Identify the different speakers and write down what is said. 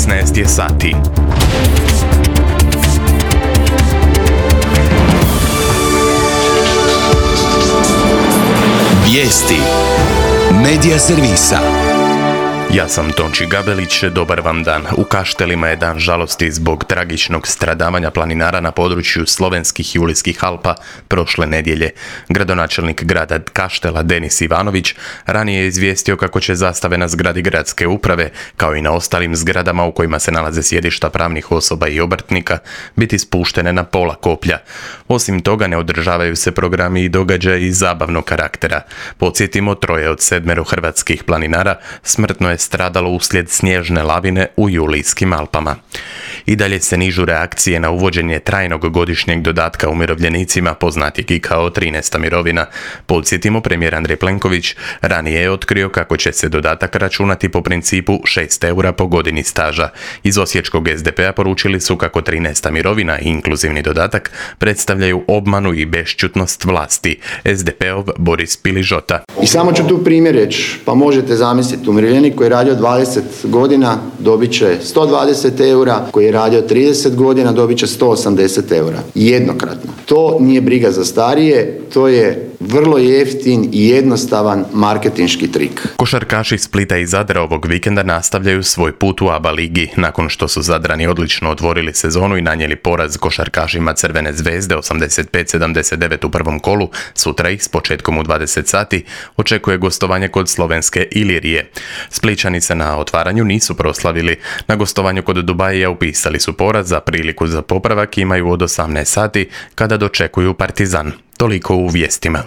Speaker 1: 16 je sati.
Speaker 2: Vijesti Medija servisa.
Speaker 1: Ja sam Tonči Gabelić, dobar vam dan. U Kaštelima je dan žalosti zbog tragičnog stradavanja planinara na području slovenskih Julijskih Alpa prošle nedjelje. Gradonačelnik grada Kaštela Denis Ivanović ranije je izvijestio kako će zastave na zgradi gradske uprave, kao i na ostalim zgradama u kojima se nalaze sjedišta pravnih osoba i obrtnika, biti spuštene na pola koplja. Osim toga ne održavaju se programi i događaji zabavnog karaktera. Podsjetimo, 3 od 7 hrvatskih planinara smrtno je stradalo uslijed snježne lavine u Julijskim Alpama. I dalje se nižu reakcije na uvođenje trajnog godišnjeg dodatka umirovljenicima, poznatijeg i kao 13. mirovina. Podsjetimo, premijer Andrej Plenković ranije je otkrio kako će se dodatak računati po principu 6 eura po godini staža. Iz osječkog SDP-a poručili su kako 13. mirovina i inkluzivni dodatak predstavljaju obmanu i bešćutnost vlasti. SDP-ov Boris Piližota.
Speaker 3: I samo ću tu primjer reći, pa možete zamisliti, umirovljenik koji je radio 20 godina dobit će 120 eura, koji je radio 30 godina dobit će 180 eura. Jednokratno. To nije briga za starije, to je vrlo jeftin i jednostavan marketinški trik.
Speaker 1: Košarkaši Splita i Zadra ovog vikenda nastavljaju svoj put u ABA ligi. Nakon što su Zadrani odlično otvorili sezonu i nanijeli poraz košarkašima Crvene zvezde 85-79 u prvom kolu, sutra ih s početkom u 20 sati očekuje gostovanje kod slovenske Ilirije. Splićani se na otvaranju nisu proslavili. Na gostovanju kod Dubaija upisali su poraz, a priliku za popravak imaju od 18 sati kada dočekuju Partizan. Toliko u vijestima.